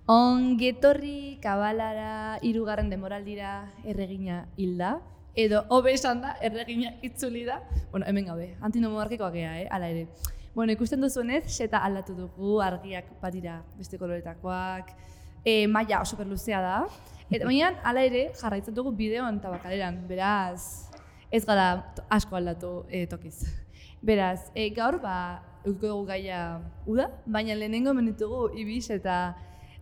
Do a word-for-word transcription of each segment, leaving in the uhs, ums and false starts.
Ongetorri kabalara hirugarren demoraldira erregina hilda, edo hobe esan da erregina itzuli da. Bueno, hemen gabe, antinomonarkikoak gea, eh, ala ere. Bueno, ikusten duzuenez, seta aldatu dugu, argiak badira beste koloretakoak, e, maila oso perluzea da. Eta baina, ala ere, jarraitzen dugu bideoan eta bakaleran, beraz, ez gara asko aldatu e, tokiz. Beraz, e, gaur, ba, eukiko dugu gaia uda, baina lehenengo menitugu Ibis eta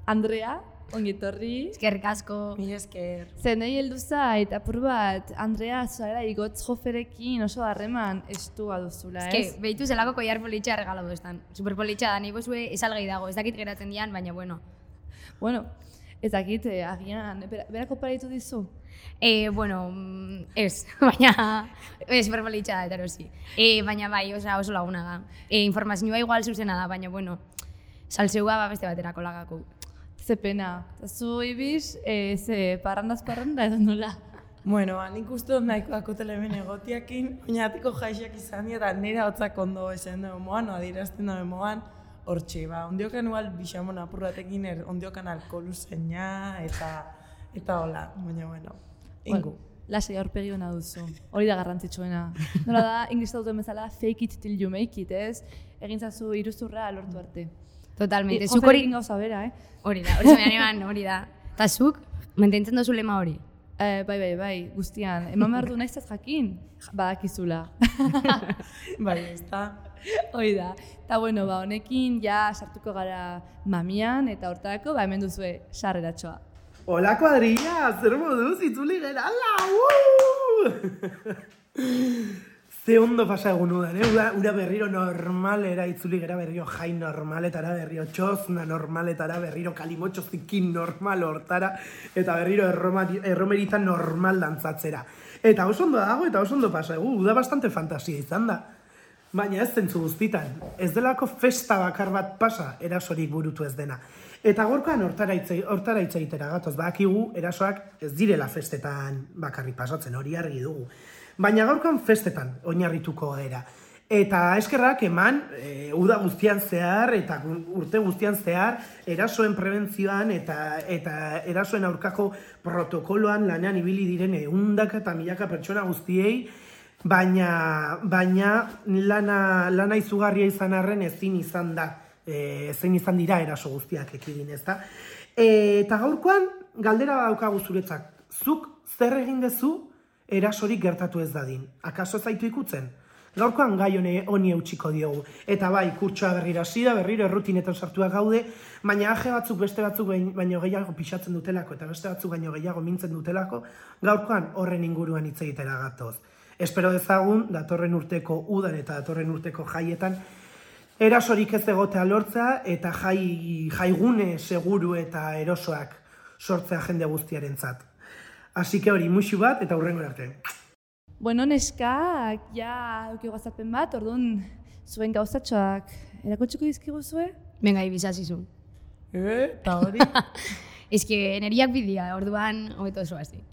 Andrea, ongetorri. Eskerrik asko. Mil esker. Zenei heldu zait, apur bat, Andrea, zuara igotz joferekin oso harreman estua duzula, ez? Eske, behitu zelako koiar politxa regala duestan. Superpolitxa da, nipo zue esalgai dago, ez dakit geratzen dian, baina bueno. Bueno, ez dakit, eh, agian, berako paraitu dizu? Eh, bueno, ez, baina, eh, superpolitxa da, eta erosi. Eh, baina bai, osa, oso laguna da. Eh, informazioa igual zuzena da, baina bueno, salseua ba beste baterako lagako. Ze pena. Zu Ibis, e, ze parrandaz parranda edo nola? Bueno, nik uste dut nahikoako telemen egotiakin, oinatiko jaixak izan eta nire hotzak ondo esan dugu moan, adierazten dugu moan, hortxe, ba, ondiokan igual bixamon apurratekin, er, ondiokan alkoholu zeina, eta, eta hola, baina, bueno, ingu. Well, lasai aurpegi hona duzu, hori da garrantzitsuena. Nola da, inglesa duten bezala, fake it till you make it, ez? Egin zazu iruzurra lortu arte. Totalmente. E, zuk hori gauza bera, eh? Hori da, hori zemean eman, hori da. Eta zuk, mantentzen dozu lema hori? Eh, bai, bai, bai, guztian. Eman behar du naiztaz jakin, badakizula. Bai, ez da. Hoi da. Eta bueno, ba, honekin ja sartuko gara mamian, eta hortarako, ba, hemen duzue sarreratxoa. Hola, kuadrilla, zer moduz, itzuli gerala, Ze ondo pasa egun udan, eh? Ura, ura berriro normalera itzuli gera berriro jai normaletara, berriro txozna normaletara, berriro kalimotxo zikin normal hortara, eta berriro erromerita normal dantzatzera. Eta oso ondo dago, eta oso ondo pasa egu, uda bastante fantasia izan da. Baina ez zentzu guztitan, ez delako festa bakar bat pasa, erasorik burutu ez dena. Eta gorkoan hortara hitz egitera gatoz, badakigu erasoak ez direla festetan bakarrik pasatzen, hori argi dugu. Baina gaurkoan festetan oinarrituko gara. Eta eskerrak eman, e, uda guztian zehar eta urte guztian zehar, erasoen prebentzioan eta, eta erasoen aurkako protokoloan lanean ibili diren ehundaka eta milaka pertsona guztiei, baina, baina lana, lana izugarria izan arren ezin izan da, e, ezin izan dira eraso guztiak ekidin, ez da. E, eta gaurkoan galdera daukagu zuretzak, zuk zer egin dezu erasorik gertatu ez dadin. Akaso zaitu ikutzen? Gaurkoan gai honi eutxiko diogu. Eta bai, kurtsoa berriro hasi da, berriro errutinetan sartuak gaude, baina aje batzuk beste batzuk baino gehiago pixatzen dutelako, eta beste batzuk baino gehiago mintzen dutelako, gaurkoan horren inguruan hitz egitera gatoz. Espero dezagun, datorren urteko udan eta datorren urteko jaietan, erasorik ez egotea lortza, eta jai, jaigune seguru eta erosoak sortzea jende guztiarentzat. Así que hori, muxu bat eta hurrengo arte. Bueno, neskak, ja, eukio gaztapen bat, orduan zuen gauzatxoak erakotxuko dizkigu zue? Venga, ibizazizu. Eh, eta hori? Ez que neriak bidia, orduan, hobeto oso hasi.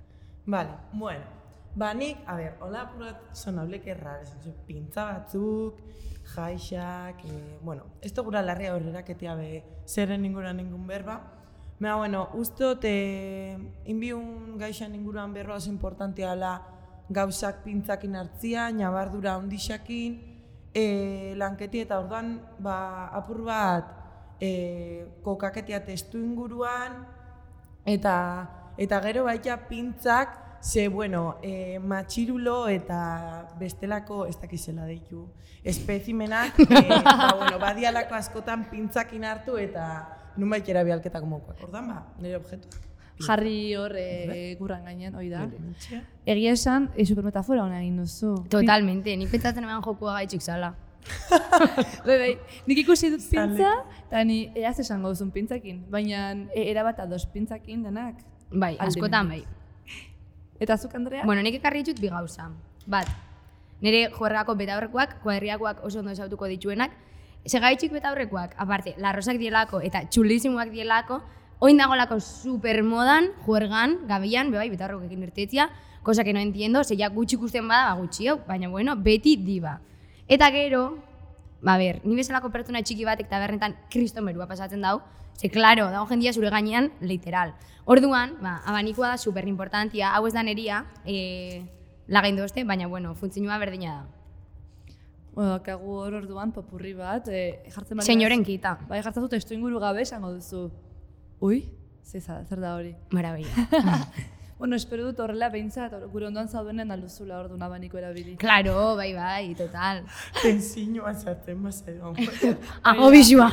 Vale, bueno. Ba, nik, a ber, hola apurat sonablek errar, esan pintza batzuk, jaixak, eh, bueno, ez gura larria horreraketia be, zerren inguruan ningun berba. Mea, bueno, ustot, eh, inbiun gaixan inguruan berroa oso importantea dela gauzak pintzakin hartzia, nabardura ondixakin, eh, lanketi eta orduan, ba, apur bat, eh, kokaketia testu inguruan, eta, eta gero baita pintzak, ze, bueno, eh, matxirulo eta bestelako, ez dakizela deitu, espezimenak, eh, ba, bueno, badialako askotan pintzakin hartu eta nun baitera bialketako mokoak. Ordan ba, nire objektuak. Jarri hor e, gurran gainean, hoi da. Egia esan, e, supermetafora hona egin duzu. Totalmente, nik pentsatzen eman jokua gaitxik zala. Be, be, nik ikusi dut pintza, eta ni eaz esango duzun pintzakin, baina e, erabat ados pintzakin denak. Bai, askotan bai. Eta zuk, Andrea? Bueno, nik ekarri ditut bi gauza. Bat, nire juergako betaurrekoak, kuadriakoak oso ondo esautuko dituenak, segaitxik betaurrekoak, aparte, larrosak dielako eta txulisimuak dielako, oin dagolako supermodan, juergan, gabian, bebai, betaurrekoekin irtetzia, cosa que no entiendo, ze ja gutxi ikusten bada, ba gutxio, baina bueno, beti diba. Eta gero, ba ber, ni bezalako pertsona txiki batek tabernetan kriston berua pasatzen dau, Ze, klaro, dago jendia zure gainean, literal. Orduan, ba, abanikoa da super importantia, hau ez da neria, e, lagain dozte, baina, bueno, funtzionua berdina da. Bueno, kagu hor orduan popurri bat, e, jartzen bali. Senyoren kita. Bai, jartzen dut testu inguru gabe esango duzu. Ui, zer zer da hori. Maravilla. Bueno, espero dut horrela behintzat, gure ondoan zaudenen alduzula orduan abaniko erabili. Claro, bai, bai, total. Tensiñoa zartzen bazero. Aho bisua.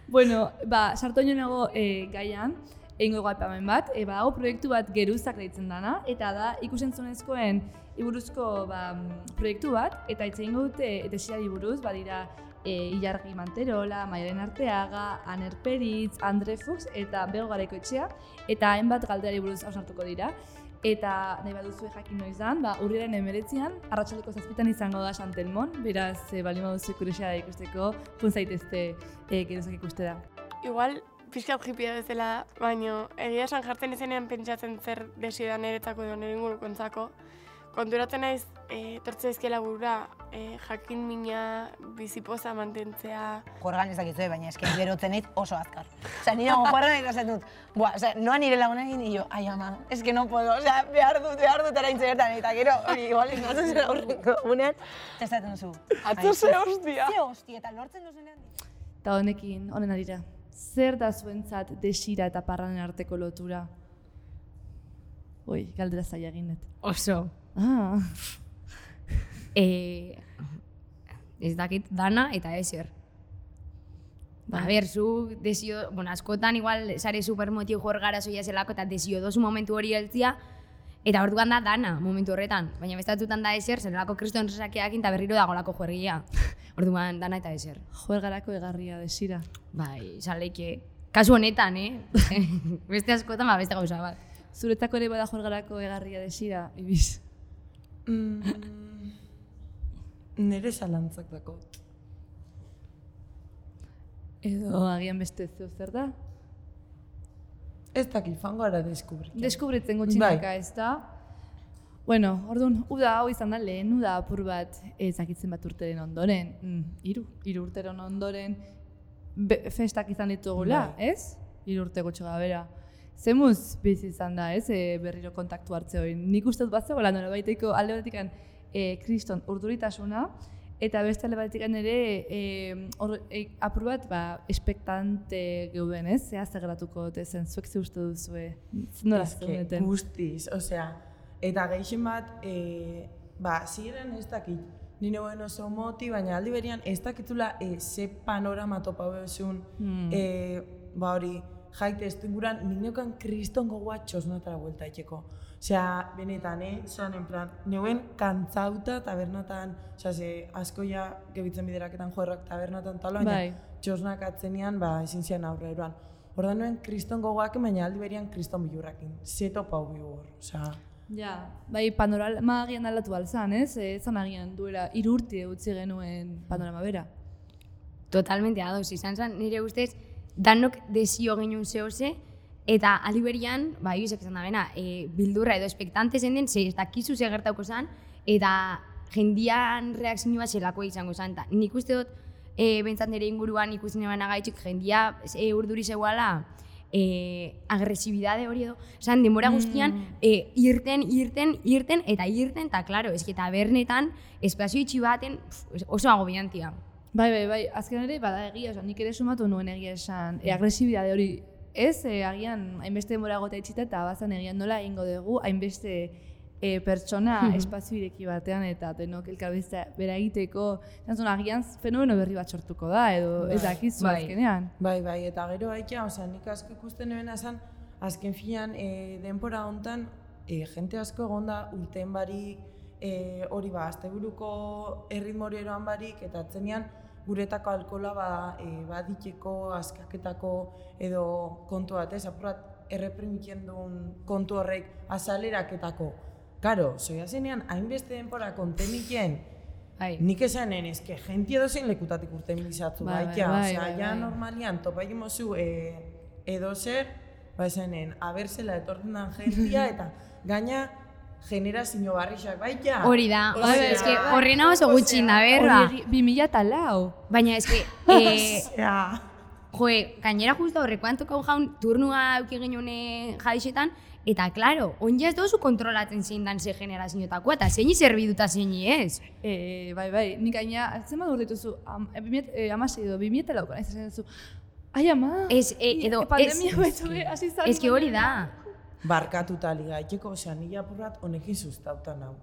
Bueno, ba, sartu nago e, gaian, egingo gaipamen bat, e, ba, hau proiektu bat geruzak deitzen dana, eta da ikusentzunezkoen iburuzko ba, proiektu bat, eta hitz egingo dute desirari buruz, badira e, Ilargi Manterola, Maialen Arteaga, Aner Peritz, Andre Fuchs eta Bego Garaikoetxea, eta hainbat galderari buruz hausnartuko dira. Eta nahi baduzue jakin noizan, ba, urriaren emeretzian, arratsaldeko zazpitan izango da Santelmon, beraz, e, bali baduzu kuriosidadea ikusteko, pun zaitezte e, geruzak ikustera. Igual, pixkat jipia bezala, baina egia esan jartzen izenean pentsatzen zer desidan eretzako edo nire ingurukontzako. Konturatzen naiz, e, tortze izkiela burura, e, jakin mina bizipoza mantentzea. Juergan ezakizue, baina eske berotzen naiz oso azkar. Osea, nire nago juergan eta esaten dut, buah, osea, noa nire lagunekin, y yo, ai ama, eske no puedo, osea, behar dut, behar dut eraintze bertan, eta gero, hori, igual, natzen zen aurreko gunean, esaten duzu. Atzo ze hostia! Ze hostia, eta lortzen duzunean. Eta honekin, honen arira, zer da zuentzat desira eta parranen arteko lotura? Oi, galdera zaila egin dut. Oso. Ah. E, ez dakit dana eta ezer. Ba, a ber, zu desio, bueno, askotan igual sare supermotiu jor gara zoia zelako eta desio dozu momentu hori heltzia, eta orduan da dana momentu horretan. Baina bestatutan da ezer, zelako kriston resakeakin eta berriro dagolako juergia. Orduan dana eta ezer. Juergarako egarria desira. Bai, zaleike. Kasu honetan, eh? Beste askotan, ba, beste gauza bat. Zuretako ere bada juergarako egarria desira, Ibiz? Mm, nere zalantzak dako. Edo agian beste zeu zer da? Ez dakit, fango ara deskubritzen. Deskubritzen gutxinaka ez da. Bueno, orduan, uda hau izan da lehen, uda apur bat ezakitzen bat urteren ondoren. Mm, iru, iru urteren ondoren be, festak izan ditugula, Bai. ez? Iru urte gutxo gabera. Zemuz bizi izan da, ez, e, berriro kontaktu hartze hori. Nik uste dut bat zegoela, nore baiteko alde batetik e, kriston urduritasuna, eta beste alde batetik ere e, or, e, apur bat ba, espektante geuden, ez? Zea zegratuko dute zen, zuek ze uste duzue, zendola zeundeten. Guztiz, osea, eta gehixen bat, e, ba, ziren ez dakit, nire guen oso moti, baina aldi berian ez dakitula e, ze panorama topa behuzun, Hmm. e, ba hori, jaite ez inguran, nik neukan kriston gogoa txosnatara buelta itxeko. Osea, benetan, eh, zoan, en plan, neuen kantzauta tabernatan, osea, ze asko ja gebitzen bideraketan joerrak tabernatan talo, baina Bai. txosnak atzenean, ba, ezin zian aurre eroan. Ordan nuen kriston gogoak, baina aldi berian kriston bilurrakin. Zeto pau bilur, osea. Ja, bai panorama agian aldatu alzan, ez? Ez zan agian duela hiru urte utzi genuen panorama bera. Totalmente ados, izan zen nire ustez, danok desio genuen zehose, eta aliberian, ba, ibizek izan da bena, e, bildurra edo espektante zen den, ze ez dakizu ze gertauko zen, eta jendian reakzioa zelako izango zen. Ta, nik uste dut, e, bentsat nire inguruan ikusten eban agaitxik, jendia e, urduri zegoala, e, agresibidade hori edo, zan, denbora guztian, e, irten, irten, irten, eta irten, eta klaro, ez eta bernetan, espazio itxi baten, pf, oso agobiantia. Bai, bai, bai, azken ere bada egia, oza, nik ere sumatu nuen egia esan, e, agresibidade hori, ez, e, agian hainbeste denbora gota itxita eta bazan egian nola egingo dugu, hainbeste e, pertsona espazio ireki batean eta denok elkarbizta bera egiteko, zantzun, agian fenomeno berri bat sortuko da, edo ez dakizu bai. azkenean. Bai, bai, eta gero haitea, osea, nik asko ikusten nebena zen, azken filan, e, denbora hontan, e, jente asko egonda urteen barik, e, hori ba, asteburuko erritmo hori eroan barik, eta atzenean guretako alkola ba, e, baditeko, askaketako edo kontu bat, ez, apurat erreprimitzen duen kontu horrek azaleraketako. Karo, zoia zenean, hainbeste denbora konteniken, Bai. nik esanen, eske, jenti edozein lekutatik urten bizatzu, Bai, bai, bai, bai, osea, bai, ja bai. normalian, topa egimozu e, edozer, ba esanen, aberzela etortzen den jentia, eta gaina generazio barrixak, bai, ja. Hori da, Osea, hori, eske horrena oso gutxi da berra. Hori bi mila eta lau. Baina eske, eh, Osea, joe, gainera justo horrekoan tokau jaun turnua euki genuen jaixetan, eta, klaro, onja ez dozu kontrolatzen zein dan ze generazioetakoa, eta zeini zerbiduta zeini ez. E, bai, bai, nik gaina, zen bat dituzu, am, e, amasei edo, bi mieta lauko, nahi zen duzu, ai ama, Ez, e, edo, e, pandemia ez, baitu hasi zan. ez que hori da. Barkatuta ligaiteko, osea, nila apurrat honekin sustautan hau.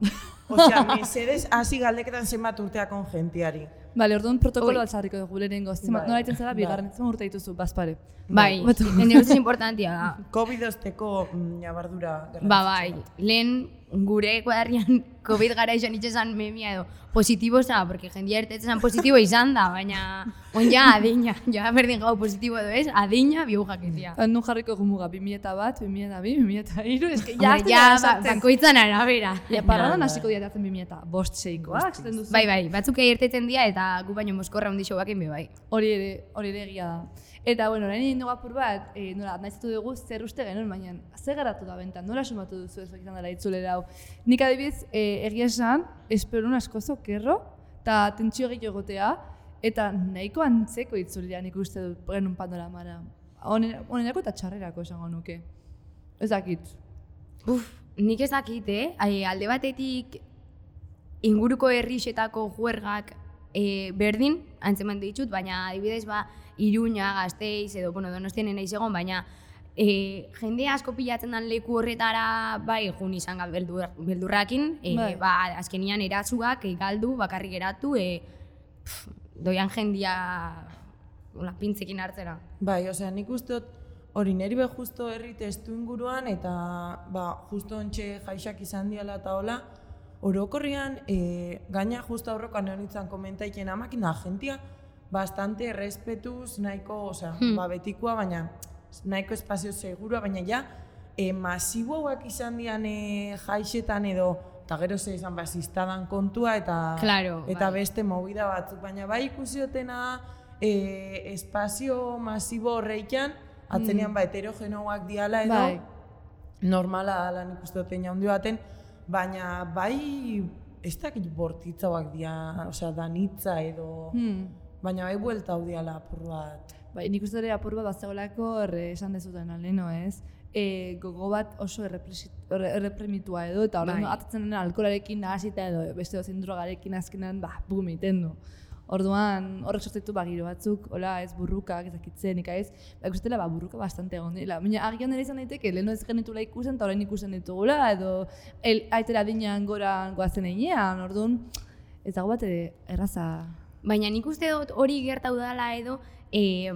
Osea, mesedez, hasi galdeketan zenbat urteakon jentiari. Bale, orduan protokolo Oi. altzarriko dugu lehenengo, zenbat, Bai. nola iten zara, Bai. bigarren, zenbat urte dituzu, bazpare. Bai, Batu. nire ustez importantia da. COVID osteko mm, ñabardura Ba, bai, lehen gure kuadarrian COVID gara izan itxesan memia edo positibo za, porque jendia ertetzen positibo izan da, baina onja adina, ja berdin gau positibo edo ez, adina bihu jaketia. Nun jarriko gumuga, bi mila bat, bi mila bi, bi mila hiru, eske Hombre, jazten ja, da ba, esaten. bakoitzan arabera. Ja, paradan hasiko dira bi mila bost seikoak, esaten duzu. Bai, bai, batzuk irtetzen dira eta gu baino moskorra hundi bakin be bai. Hori ere, hori ere egia da. Eta, bueno, orain egin dugu apur bat, e, nola, nahizetu dugu zer uste genuen, baina zer geratu da bentan, nola sumatu duzu ez izan dela itzulera hau. Nik adibidez, e, egia esan, esperun asko zokerro, eta tentsio gehiago egotea, eta nahiko antzeko itzulera nik uste dut genuen panoramara. Honerako eta txarrerako esango nuke. Ez dakit. Uf, nik ez dakit, eh? Ai, alde batetik inguruko herrixetako juergak e, berdin, antzeman ditut, baina adibidez ba, Iruña, Gasteiz, edo, bueno, Donostian naiz egon, baina e, jende asko pilatzen den leku horretara, bai, jun izan gal beldur, beldurrakin, e, Bai. ba, azkenian eratzuak, e, galdu, bakarrik geratu, e, pff, doian jendia hola, pintzekin hartzera. Bai, osea, nik uste dut hori neri be justo herri testu inguruan eta ba, justo ontxe jaixak izan diala eta hola, orokorrian, e, gaina justo aurrokan honitzen komentaiken amakin da, jentia bastante respetuz, nahiko, osea, Hmm. ba, betikoa, baina nahiko espazio segurua, baina ja, e, masiboak izan dian e, jaixetan edo, eta gero ze izan basistadan kontua eta Claro, eta bai. beste movida batzuk, baina bai ikusi dutena e, espazio masibo horreikan, atzenean ba heterogenoak diala edo Bai. normala dala nik uste duten jaundi baten, baina bai ez dakit bortitzauak dira, osea danitza edo, Hmm. baina bai buelta hau diala apur bat. Bai, nik uste ere apur bat bazegoelako erre esan dezuten aleno, ez? E, gogo bat oso errepresi- erre- erreprimitua edo, eta horren Bai. atatzen dena alkoholarekin nahasita edo beste dozein drogarekin azkenan, ba, bum egiten du. Orduan, horrek sortzitu ba, giro batzuk, hola, ez burrukak, ezakitzen, ika ez, ba, ikustela, ba, burruka bastante egon dira. Baina, agian ere izan daiteke, leheno ez genitula ikusten, eta orain ikusten ditugula, edo el, aitera dinean gora goazen einean, orduan, ez dago bat ere erraza. Baina nik uste dut hori gertau dela edo eh,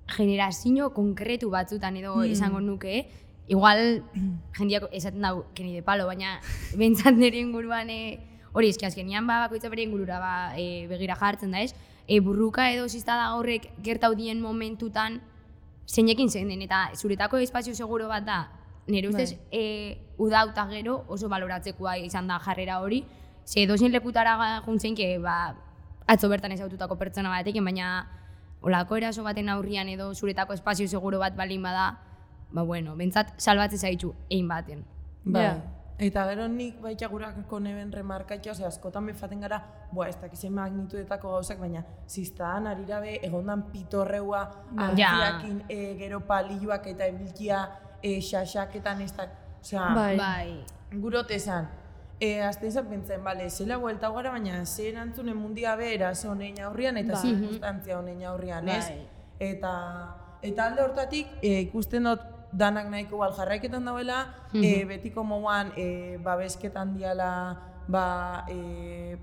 generazio konkretu batzutan edo Hmm. esango nuke, eh? Igual jendiak esaten dau keni de palo, baina bentsat nire inguruan eh, hori eski azkenian ba, bakoitza bere ingurura ba, eh, begira jartzen da ez, e, burruka edo ziztada horrek gertau dien momentutan zeinekin zen den, eta zuretako espazio seguro bat da, nire ustez Bai. e, udauta gero oso baloratzekoa izan da jarrera hori, ze edozein lekutara juntzen, que, ba, atzo bertan ezaututako pertsona batekin, baina olako eraso baten aurrian edo zuretako espazio seguro bat balin bada, ba bueno, bentsat salbatze zaitu egin baten. Bai. Ja. Eta gero nik baita gurako neben remarkatxo, ose askotan befaten gara, boa, ez dakizen magnitudetako gauzak, baina ziztaan arirabe egondan pitorreua, artiakin, e, gero palilloak eta ebilkia, e, xaxaketan ez da, osea, Bai. Bai. gurote esan. E, azte izan pentsen, bale, zela buelta gara, baina ze erantzunen mundia be eraso honein aurrian eta Bai. zirkunstantzia honein aurrian, ez? Bai. Eta, eta alde hortatik, e, ikusten dut danak nahiko bal jarraiketan dauela, e, betiko moduan e, babesketan diala ba, e,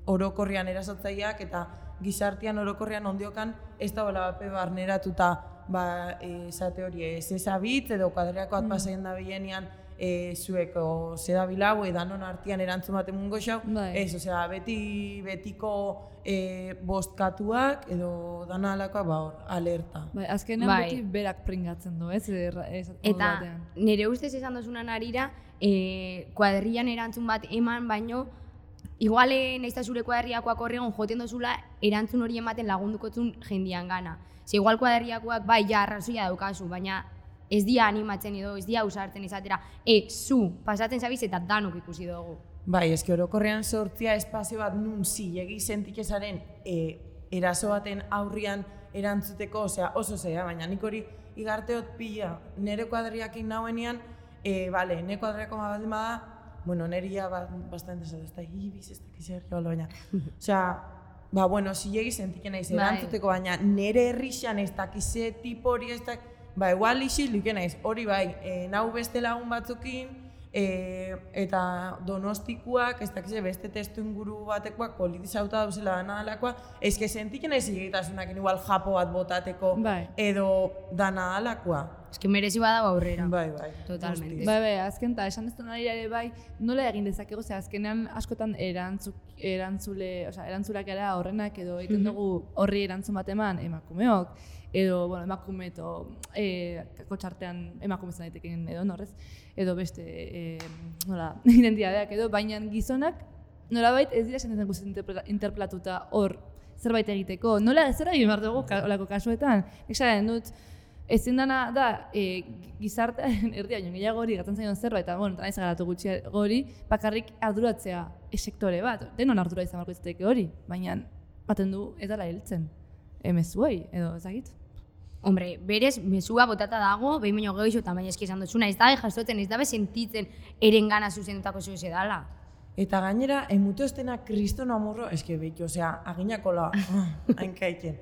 orokorrian erasotzaileak eta gizartean orokorrian ondiokan ez dagoela bape barneratuta ba, e, esate hori ez ezabitz edo kuadreako bat pasaien da bilenean e, zueko zedabilau edanon artean erantzun baten mungo xau, Bai. ez, osea, beti betiko e, bostkatuak edo dana alakoak ba hor, alerta. Bai, azkenean Bai. beti berak pringatzen du, ez? Erra- ez modu Eta batean. nire ustez esan dozunan arira, e, kuadrillan erantzun bat eman baino, igual eh, nahiz eta zure kuadriakoak horregon joten dozula, erantzun hori ematen lagundukotzun jendian gana. Ze igual kuadriakoak bai ja arrazoia daukazu, baina ez dia animatzen edo, ez dia ausartzen izatera, e, zu, pasatzen zabiz eta danok ikusi dugu. Bai, eski orokorrean sortzia espazio bat nun zilegi sentikezaren e, eraso baten aurrian erantzuteko, osea, oso zeia, baina nik hori igarteot pila, nire kuadriakin nauenean, e, bale, nire kuadriako ma baldin bada, bueno, nire ya ba, bastante ez da, ibiz, ez da, kizia baina, osea, ba, bueno, zilegi sentiken naiz erantzuteko, baina nire herrixan ez dakize tipo hori ez da, ba, igual isil duken naiz, hori bai, e, nau beste lagun batzukin, E, eta donostikuak, ez dakize beste testu inguru batekoak politizauta dauzela dana dalakoa, ez que sentiken ez zilegitasunak igual japo bat botateko bai. edo dana dalakoa. Ez que merezi badago aurrera. Bai, bai. Totalmente. Bai, bai, azken eta esan dezten ari ere bai, nola egin dezakegu, ze azkenean askotan erantzuk, erantzule, osea, erantzulak gara horrenak edo egiten dugu horri erantzun bat eman emakumeok, edo, bueno, emakume edo e, kakotxartean emakume zan daiteken edo norrez, edo beste, e, nola, identitateak edo, baina gizonak nolabait ez dira sentetzen guzti interpelatuta hor zerbait egiteko. Nola zer egin behar dugu olako kasuetan? Exaren dut, ezin dana da e, gizartearen erdia joan gehiago hori gatzen zaion zerbait, eta bueno, naiz garatu gutxi hori, bakarrik arduratzea sektore bat, denon ardura izan barko izateke hori, baina baten du ez dela hiltzen. Emezuei, edo ezagit. Hombre, berez, mezua botata dago, behin baino gehiago eta baina eski esan duzuna, ez dabe jasotzen, ez dabe sentitzen erengana zuzendutako zeu ze dala. Eta gainera, emute ostena kriston amorro, eske beti, osea, aginakola, hainkaiten.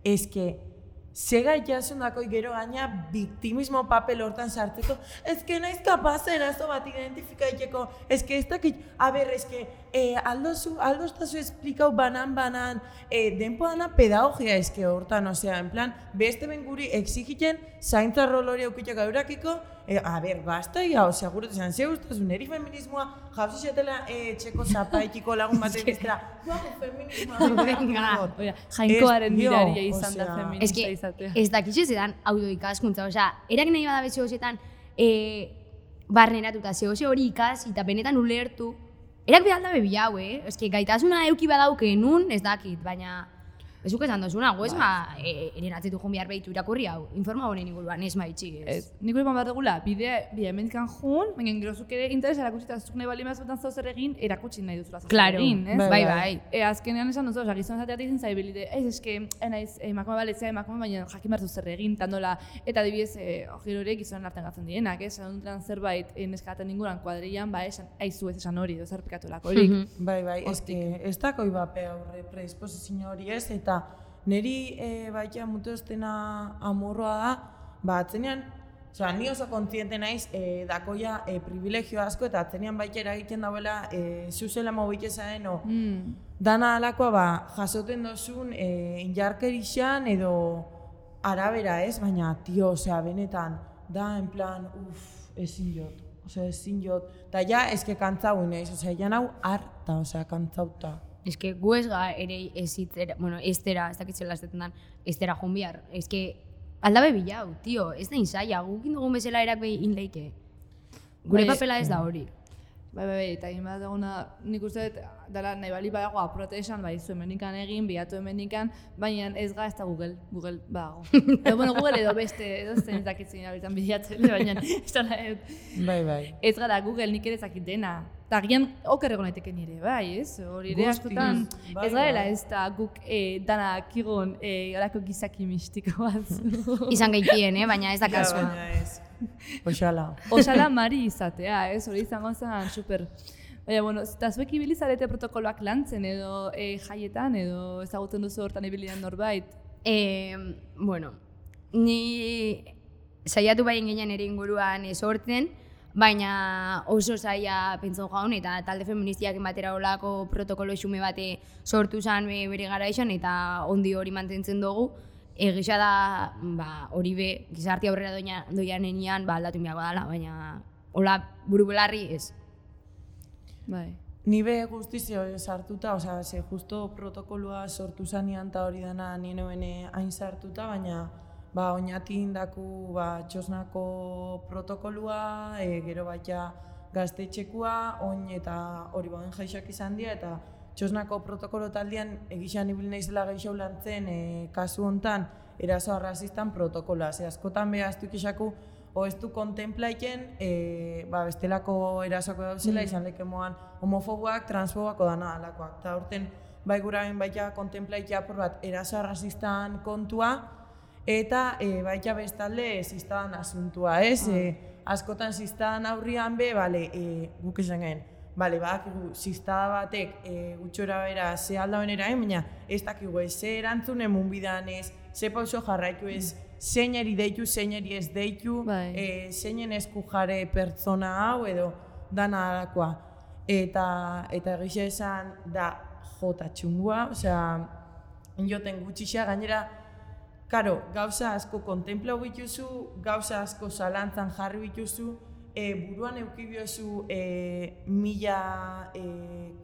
Eske, zega jasundako gero gaina biktimismo papel hortan sartzeko, eske naiz kapaz erazo bat identifikaiteko, eske ez dakit, a ber, eske, eh, aldozu, aldoztazu esplikau banan-banan, eh, denpo dana pedagogia eske hortan, osea, en plan, beste ben guri exigiten zaintza rol hori aukitxak eurakiko, eh, a ber, basta, ya, osea, gure tezan, ze guztazun, eri feminismoa, jauzi xatela eh, txeko zapaikiko lagun batek bestera, guapo feminismoa, Oia, jainkoaren Ez, dio, miraria izan da osea, feminista Eske, izatea. ez dakitxo zedan audio ikaskuntza, osea, erak nahi bada bezio zetan e, barneratuta zehose hori ikasi eta benetan ulertu, erak behar da bebi hau, eh? Eske, gaitasuna euki badauke nun, ez dakit, baina ez duk esan dozuna, gu ez ma, e, eren atzetu joan behar behitu irakurri hau, informa honen inguruan, ez maitxi, ez. Ez, nik hori behar dugula, bidea, bidea emendikan jun, baina gerozuk ere interes erakutsi eta zuk nahi bali mazbetan zau zer egin, erakutsi nahi duzula zau zer Claro, egin, ez? bai, bai. E, azkenean esan duzu, oza, gizon zateat egin zaibilide, ez eske, enaiz, emakume baletzea emakume, baina jakin behar zer egin, tandola, eta adibidez, e, gero ere gizonen artean gatzen dienak, ez? Esan dutran zerbait, e, neskaten inguruan kuadrillan, ba, esan, aizu ez esan hori, edo zer pikatulako horik. Bai, bai, eske, ez dako ibape aurre predisposizio hori ez, eta niri e, baita mutoztena amorroa da, ba, atzenean, osea, ni oso kontziente naiz, e, dakoia e, privilegio asko, eta atzenean baita eragiten dauela, e, zuzela mobitezaren, o, Mm. dana alakoa, ba, jasoten dozun, e, injarkerixan edo arabera ez, baina, tio, osea, benetan, da, en plan, uff, ezin jot, osea, ezin jot, eta ja, eske kantzau inaiz, osea, ja nau harta, osea, kantzauta. Ez que gu ez ga ere ez itzera, bueno, ez tera, ez dakitzela ez detendan, ez tera joan bihar. Ez que aldabe bilau, tio, ez da inzaia, gukin dugun bezala erak behin inleike. Gure Bai, papela ez da hori. Bai, bai, bai, eta egin bat duguna, nik uste dut, dela nahi bali badago apurate esan, bai, zu emenikan egin, bilatu emenikan, baina ez ga ez da Google, Google badago. edo, bueno, Google edo beste, edo zen zakitzen abitan bilatzen, baina ez da nahi, Bai, bai. ez gara Google nik ere zakit dena. Eta gian okerrego naiteke nire, bai, ez? Hori ere Guztiz, askotan bai, ez garela bai. ez da guk e, dana kigun e, horako gizaki mistiko bat. Izan gehitien, eh? Baina ez da Ja, kasua. baina ez. Oxala. Osala mari izatea, ez? Hori izango zen, super. Baina, bueno, eta zuek ibili zarete protokoloak lantzen edo e, jaietan edo ezagutzen duzu hortan ibili den norbait. Eh, bueno, ni saiatu baien ginen ere inguruan sortzen, baina oso zaila pentson jaun eta talde feministiak batera olako protokolo xume bate sortu zen be- bere garaian eta ondi hori mantentzen dugu. Egisa da, ba, hori be, gizarti aurrera doia, doian enian, ba, aldatu miago dela, baina hola buru belarri ez. Bai. Ni be guztizio sartuta, osea, ze justo protokoloa sortu zanean eta hori dana nien hoene hain sartuta, baina ba, oinatin daku ba, txosnako protokoloa, e, gero baita gaztetxekua, oin eta hori bauen jaixak izan dira, eta txosnako protokolo taldean egizan ibil naizela gehiago lantzen e, kasu hontan eraso arrazistan protokoloa. Ze askotan behaztu ikixaku, o ez du kontemplaiken e, ba, bestelako erasoko dauzela, izan leke moan homofoboak, transfoboak odana alakoak. Eta horten bai guraben baita kontemplaitia apur bat eraso arrazistan kontua, eta e, baita bestalde ziztadan asuntua, ez? Ah. E, askotan ziztadan aurrian be, bale, e, guk esan gen, bale, badakigu ziztada batek e, gutxora bera ze aldauen erain, baina ez dakigu ez, ze erantzun emun bidan ez, ze pauso jarraitu ez, zeineri deitu, zeineri ez deitu, e, zeinen esku jare pertsona hau edo dana alakoa. Eta, eta egixe esan da jota txungua, osea, joten gutxixa, gainera, karo, gauza asko kontemplau bituzu, gauza asko zalantzan jarri bituzu, e, buruan eukibiozu e, mila e,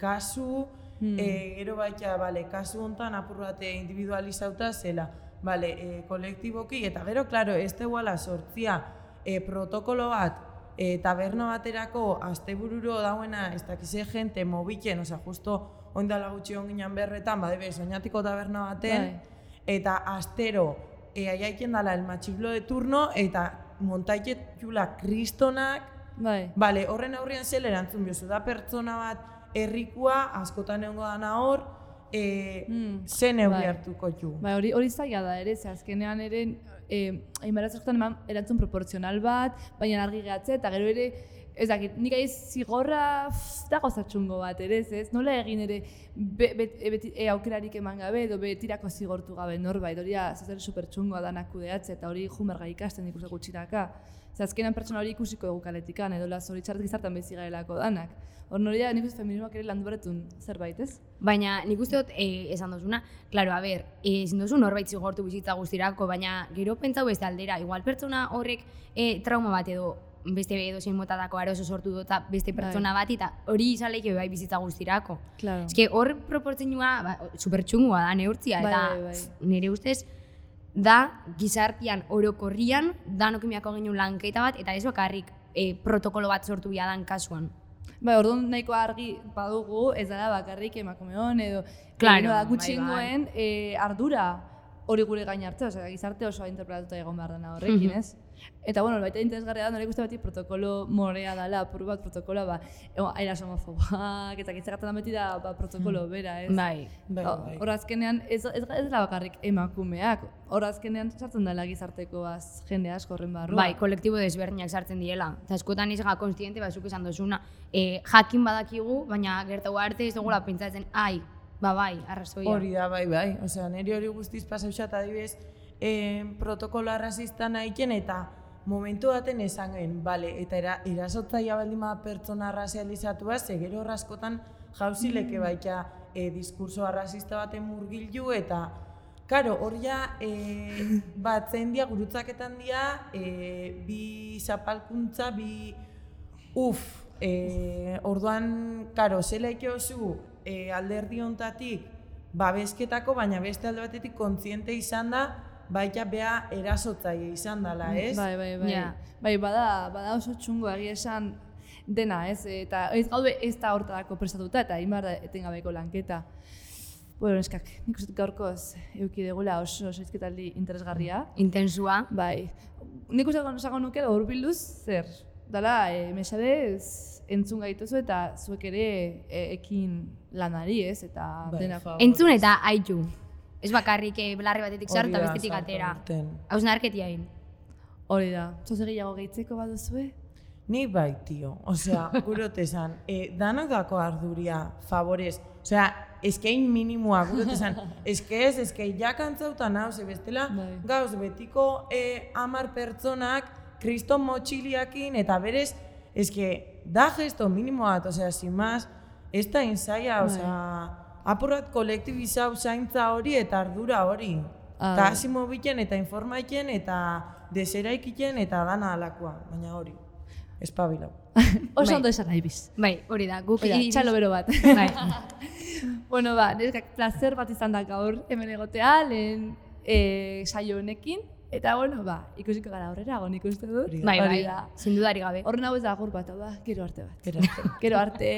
kasu, hmm. e, gero baita, bale, kasu hontan apur bate individualizauta zela, bale, e, kolektiboki, eta gero, klaro, ez teguala sortzia e, protokolo bat, e, taberna baterako astebururo dauena, ez dakize jente mobiken, osea, justo oindala gutxi onginan berretan, badebe, soñatiko taberna baten, bai. Eta astero, e, aiaiten dala el matxiblo de turno, eta montaiket jula kristonak, bai. Bale, horren aurrian zel erantzun biozu, da pertsona bat herrikua, askotan egongo dana hor, e, mm, zen neurri bai. Hartuko ju. Bai, hori, hori zaila da ere, ze azkenean ere, e, hainbaratzekotan eman erantzun proporzional bat, baina argi gehatze, eta gero ere, ez dakit, nik aiz zigorra da gozatxungo bat, ere, ez? Nola egin ere be, be, be, e, aukerarik eman gabe, edo betirako zigortu gabe norbait, hori zazer supertxungoa danak kudeatze, eta hori jumerga ikasten ikusak gutxiraka. Zer azkenan pertsona hori ikusiko dugu kaletikan, edo zoritxarret gizartan bezi garelako danak. Hor nori da, nik uste feminismoak ere landu beretun zerbait, ez? Baina nik uste dut e, esan dozuna, klaro, a ber, ezin dozu norbait zigortu bizitza guztirako, baina gero pentsau beste aldera, igual pertsona horrek e, trauma bat edo beste edo zein motatako aroso sortu dut beste pertsona bat, eta hori izaleike bai bizitza guztirako. Claro. Ez que hor proportzionua ba, supertxungua da neurtzia, eta bai, bai, bai. Nire ustez da gizartian orokorrian danokimiako ginen lanketa bat, eta ez bakarrik e, protokolo bat sortu biadan kasuan. Bai, orduan nahiko argi badugu, ez dara bakarrik emakumeon edo claro, da gutxingoen bai, bai. E, ardura hori gure gain hartzea, osea, gizarte oso interpretatuta egon behar dena horrekin, mm-hmm. ez? Eta, bueno, baita interesgarria da, nire guzti beti protokolo morea dela, apur bat protokoloa, ba, airaz homofoboak, eta gitzakatzen da beti da ba, protokolo bera, ez? Bai, bai, bai. Hor azkenean, ez, ez, ez dela bakarrik emakumeak, hor azkenean sartzen dela gizarteko az, jende asko horren barruan. Bai, kolektibo desberdinak sartzen diela. Eta askotan izga konstiente, bazuk esan dozuna, e, jakin badakigu, baina gertago arte ez dugula pentsatzen, ai, ba bai, arrazoia. Hori da, bai, bai. Osea, niri hori guztiz pasauxat adibidez, eh, protokolo arrazista nahiken eta momentu baten esan gen, bale, eta era, erasotzaia baldin bada pertsona arrazializatua, ze gero askotan jauzileke baita eh, diskurso arrazista baten murgildu, eta karo, hor ja, eh, bat zein dia, gurutzaketan dia, eh, bi zapalkuntza, bi uf, eh, orduan, karo, zela ikeozu, E, alderdi hontatik babesketako, baina beste alde batetik kontziente izan da, baita bea erasotzaile izan dela, ez? Bai, bai, bai. Yeah. Bai, bada, bada oso txungo egia esan dena, ez? Eta ez gaude ez da hortarako prestatuta, eta inbar da etengabeko lanketa. Bueno, eskak, nik uste gaurkoz euki degula oso zaizketaldi interesgarria. Intensua. Bai. Nik uste esago nuke hurbilduz zer? Dala, e, mesadez entzun gaituzu eta zuek ere e, ekin lanari, ez? Eta bai, dena. Entzun eta haitu. Ez bakarrik belarri batetik sartu eta bestetik atera. Hausnarketiain. Hori da. Zoze gehiago gehitzeko baduzue? Ni bai, tio. Osea, gurote esan, e, danak dako arduria, favorez. Osea, eskein minimoa, gurote esan, eske ez, eske jakantzautan hau, ze bestela, bai. Gauz, betiko e, amar pertsonak, kriston motxiliakin, eta berez, eske, da gesto minimoa, osea, sin más, ez da inzaia, osea, apurrat kolektibizau zaintza hori eta ardura hori. Eta hasi mobilen eta informaiken eta deseraikiten eta dana alakoa, baina hori, espabilau. Oso ondo esan nahi biz. Bai, hori da, guk iriz. Txalo bero bat. Bai. Bueno, ba, neskak placer bat izan da gaur hemen egotea, lehen e, saio honekin. Eta, bueno, ba, ikusiko gara horrera, nik uste dut. Bai, bai, sin dudari gabe. Horren hau ez da agur bat, hau da, gero arte bat. Gero arte. Gero arte.